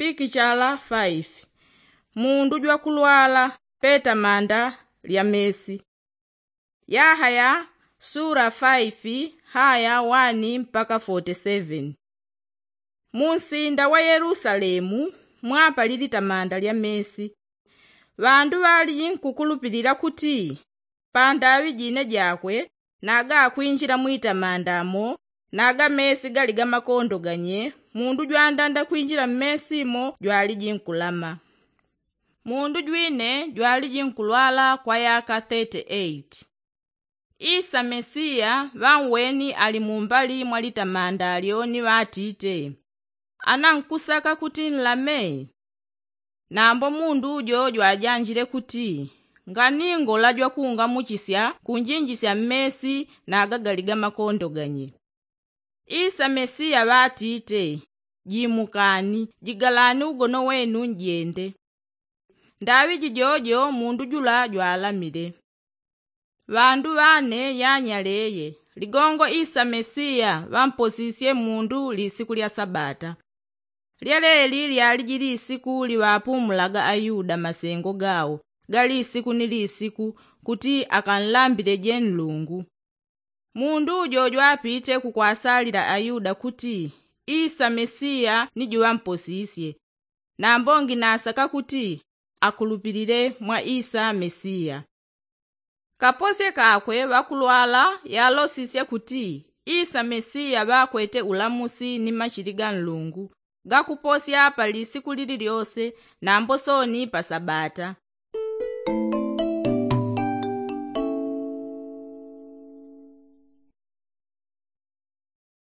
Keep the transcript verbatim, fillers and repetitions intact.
Pikichala faifi. Mundu jwakulwala petamanda lya mesi. Yahaya sura faifi haya wani mpaka foti seveni. Munsinda wa yelusalemu mwapali litamanda lya mesi. Ŵandu ŵaliji nkukulupilila kuti pandaŵi jine jakwe, nagakwinjila mwitamanda mo naga mesi gali ga makondo ganye. Mundu jwandanda kwinjila mmesi mo jwaliji nkulama. Mundu jwine jwaliji nkulwala kwa yaka thirty eight. Isa mesiya ŵanweni ali mumbali mwa litamanda lyo ni ŵatite, ana nkusaka kuti nlame? Nambo mundu jo jwajanjile kuti, nganingola jwakungamuchisya kunjinjisya mmesi naga gali ga makondo ganye. Isa mesiya ŵatite, jimukani, jigalani ugono wenu njende. Ndaŵi jijojo mundu jula jwalamile. Ŵandu ŵane yanyaleye, ligongo isa mesiya ŵamposisye mundu lisiku lya sabata. Lyeleli lyaliji lisiku liŵapumulaga ayuda masengo gawo, ga lisiku ni lisiku, kuti akanlambileje nlungu. Mundu jo jwapite kukwasalila ayuda kuti isa mesiya ni juŵamposisye. Nambo nginasaka kuti akulupilile mwa isa mesiya. Kaposye kakwe ŵakulwala yalosisye kuti isa mesiya ŵakwete ulamusi ni machili ga nlungu, gakuposya pa lisiku lili lyose, nambo soni pa sabata.